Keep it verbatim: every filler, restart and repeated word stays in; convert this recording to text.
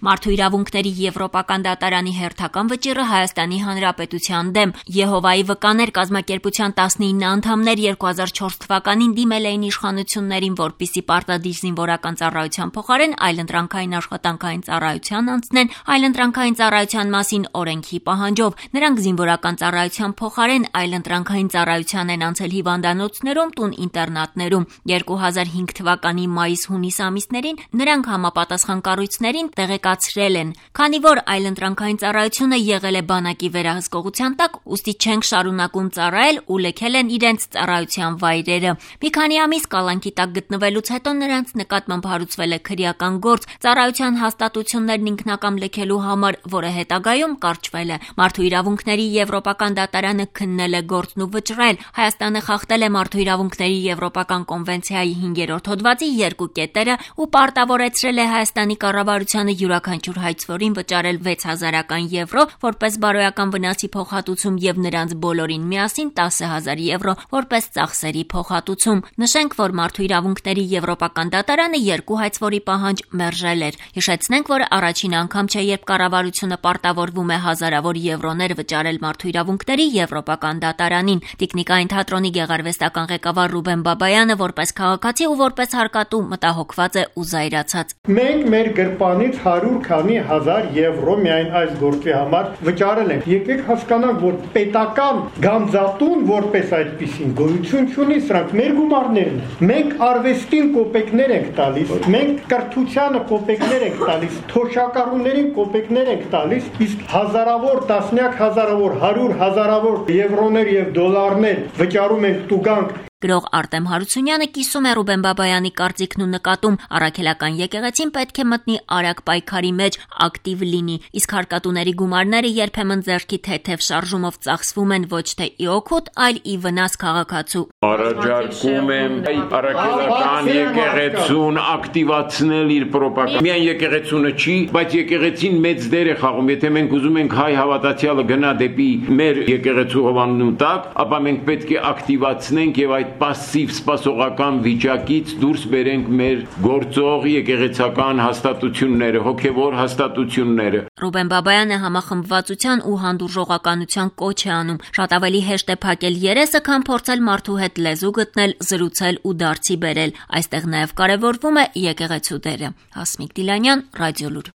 Մարդու իրավունքների Եվրոպական դատարանի հերթական վճիռը Հայաստանի Հանրապետության դեմ։ Եհովայի վկաներ կազմակերպության տասնինը անդամներ երկու հազար չորս թվականին դիմել էին իշխանություններին, որպեսզի պարտադիր զինվորական ծառայության փոխարեն այլընտրանքային աշխատանքային ծառայության անցնեն այլընտրանքային ծառայության մասին օրենքի պահանջով։ Նրանք զինվորական ծառայության փոխարեն այլընտրանքային ծառայության են անցել հիվանդանոցներում, տուն-ինտերնատներում։ երկու հազար հինգ թվականի մայիս-հունիս ամիսներին նրանք համապատասխան կառույցներին տեղեկացրել են, քանի որ այլընտրանքային ծառայությունը եղել է բանակի վերահսկողության տակ, ուստի չենք շարունակում ծառայել ու լքել են իրենց ծառայության վայրերը։ Մի քանի ամիս կալանքի տակ գտնվելուց հետո նրանց նկատմամբ հարուցվել է քրեական գործ ծառայության հաստատություններն ինքնակամ լքելու համար, որը հետագայում կարճվել է։ Մարդու իրավունքների Եվրոպական դատարանը քննել է գործն ու վճռել։ Հայաստանը խախտել է Մարդու իրավունքների Եվրոպական կոնվենցիայի հինգերորդ հոդվածի երկու կետերը ու պարտավորեցրել է Հայաստանի կառավարությանը յուրաքանչյուր հայցվորին վճարել վեց հազարական եվրո որպես բարոյական վնասի փոխհատուցում եւ նրանց բոլորին միասին տասը հազար եվրո որպես ծախսերի փոխհատուցում։ Նշենք, որ Մարդու իրավունքների Եվրոպական դատարանը երկու հայցվորի պահանջ մերժել էր։ Հիշեցնենք, որ առաջին անգամ չէ, երբ կառավարությունը պարտավորվում է հազարավոր եվրոներ վճարել Մարդու իրավունքների Եվրոպական դատարանին։ Տիկնիկային թատրոնի գեղարվեստական ղեկավար Ռուբեն Բաբայանը որպես քաղաքացի ու որպես հարկատու մտահոգված է ու զայրացած։ Մենք մեր գրպանից հարյուր քանի հազար եվրո միայն այս գործի համար վճարել ենք։ Եկեք հասկանանք, որ պետական գանձատուն որպես այդպիսին գոյություն չունի, սրանք մեր գումարներն են։ Մենք արվեստին կոպեկներ ենք տալիս, մենք կրթությանը կոպեկներ ենք տալիս, թոշակառուներին կոպեկներ ենք տալիս, իսկ հազարավոր, տասնյակ հազարավոր, հարյուր հազարավոր եվրոներ եւ դոլարներ վճարում ենք տուգանք։ Գրող Արտեմ Հարությունյանը կիսում է Ռուբեն Բաբայանի կարծիքն ու նկատում առաքելական եկեղեցին պետք է մտնի արագ պայքարի մեջ, ակտիվ լինի, իսկ հարկատուների գումարները երբեմն ձեռքի թեթև շարժումով ծախսվում են ոչ թե ի օգուտ, այլ ի վնաս քաղաքացու։ Առաջարկում եմ առաքելական եկեղեցուն ակտիվացնել իր պրոպագանդան։ Միայն եկեղեցունը չի, բայց եկեղեցին մեծ դեր է խաղում։ Եթե մենք ուզում ենք հայ հավատացյալը գնա դեպի մեր եկեղեցու հովանու տակ, ապա մենք պետք է ակտիվացնենք եւ այդ պասիվ սպասողական վիճակից դուրս բերենք մեր գործող եկեղեցական հաստատությունները, հոգևոր հաստատությունները։ Ռուբեն Բաբայանը համախմբվածության ու հանդուրժողականության կոչ է անում։ Շատ ավելի հեշտ է փակել երեսը, քան փորձել մարդու հետ լեզու գտնել, զրուցել ու դարձի բերել։ Այստեղ նաև կարևորվում է եկեղեցու դերը։ Հասմիկ Դիլանյան, Ռադիոլուր։